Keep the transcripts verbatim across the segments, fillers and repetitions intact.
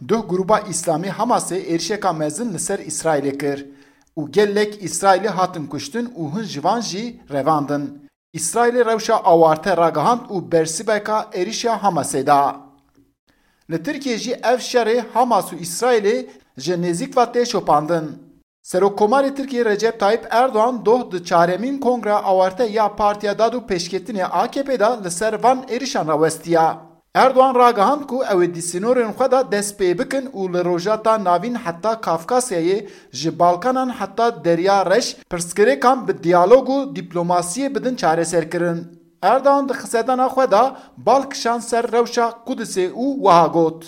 Duh grûba Îslamî Hamasê êrişeka mezin li ser Îsraîlê kir û gelek Îsraîlî hatin kuştin û hin ji van jî revandin. Îsraîlê rewşa awarte ragihand û bersiveka êrişa Hamasê da. Li Tirkiyê jî ev şerê Hamas û Îsraîlê ji nêzîk ve tê şopandin. Serokkomarê Tirkiyê Recep Tayyip Erdogan doh di çaremîn Kongreya Awarte ya Partiya Dad û Pêşketinê A K P de li ser van êrişan rawestiya. Erdogan ragihand ku ew ê di sînorên xwe de dest pê bikin û li Rojhilata Navîn heta Kafkasyayê, ji Balkanan heta Derya Reş pirsgirêkan bi diyalog û dîplomasiyê bidin çareserkirin. Erdogan di xisedana xwe de bal kişand ser rewşa Qudisê û wiha got: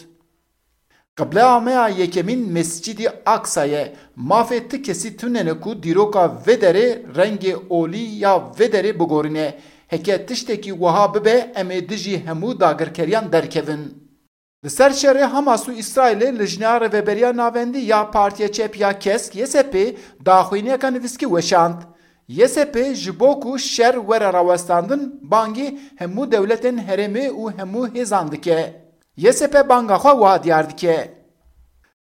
Qibleameya yekemîn Mescîdî Aksa ye. Mafê ti kesî tune ne ku dîroka vê derê, rengê olî ya vê derê bigorîne. Heke tiştekî wiha bibe, em ê dijî hemû dagirkeriyan derkevin. Li ser şerê Hamas û Îsraîlê Lijneya Rêveberiya Navendî ya Partiya Çep ya Kesk, Y S P, daxuyaniyeka nivîskî weşand. Y S P ji bo ku şer were rawestandin, bangî hemû dewletên herêmê û hemû hêzan dike. Y S P banga xwe wiha diyar dike: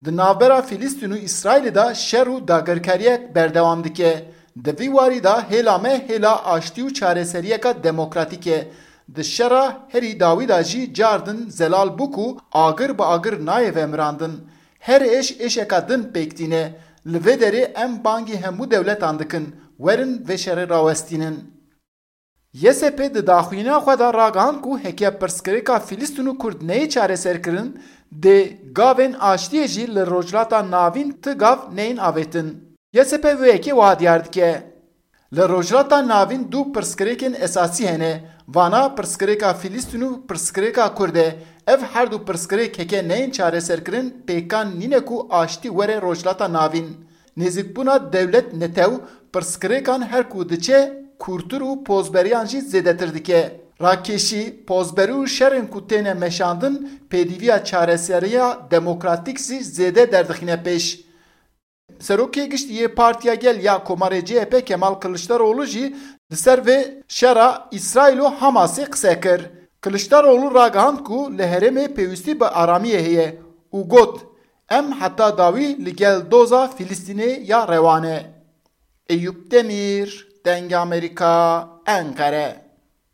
Di navbera Filistîn û Îsraîlê de şer û dagirkeriyek berdewam dike. Di vî warî de hêla me hêla aştî û çareseriyeka demokratîk e. Di şera herî dawî de jî car din zelal bû ku agir bi agir nayê vemirandin. Her êş êşeka din pêk tîne. Li vê derê em bangî hemû dewletan dikin, werin vê şerê rawestînin. Y S P di daxuyaniya xwe de ragihand ku heke pirsgirêka Filistîn û Kurd neyê çareserkirin, dê gavên aştiyê jî li Rojhilata Navîn ti gav neyên avêtin. Y S P vê yekê wiha diyar dike: Li Rojhilata Navîn du pirsgirêkên esasî hene. Vana pirsgirêka Filistîn û pirsgirêka Kurd e. Ev her du pirsgirêk heke neyên çareserkirin, pêkan nîne ku aştî were Rojhilata Navîn. Nêzîkbûna dewlet netew pirsgirêkan her ku diçe kûrtir û pozberiyan jî zêdetir dike. Rakêşî, pozberî û şerên ku têne meşandin pêdîviya çareseriya demokratîk jî zêde derdixîne pêş. Serokê Giştî yê Partiya Gel ya Komarê C H P Kemal Kiliçdaroglu jî li ser vê şera Îsraîl û Hamasê qise kir. Kiliçdaroglu ragihand ku li herêmê pêwîstî bi aramiyê heye û got: Em heta dawî li gel doza Filistînê ya rewa ne. Eyûp Demîr, Dengê Amerîka, Enqere.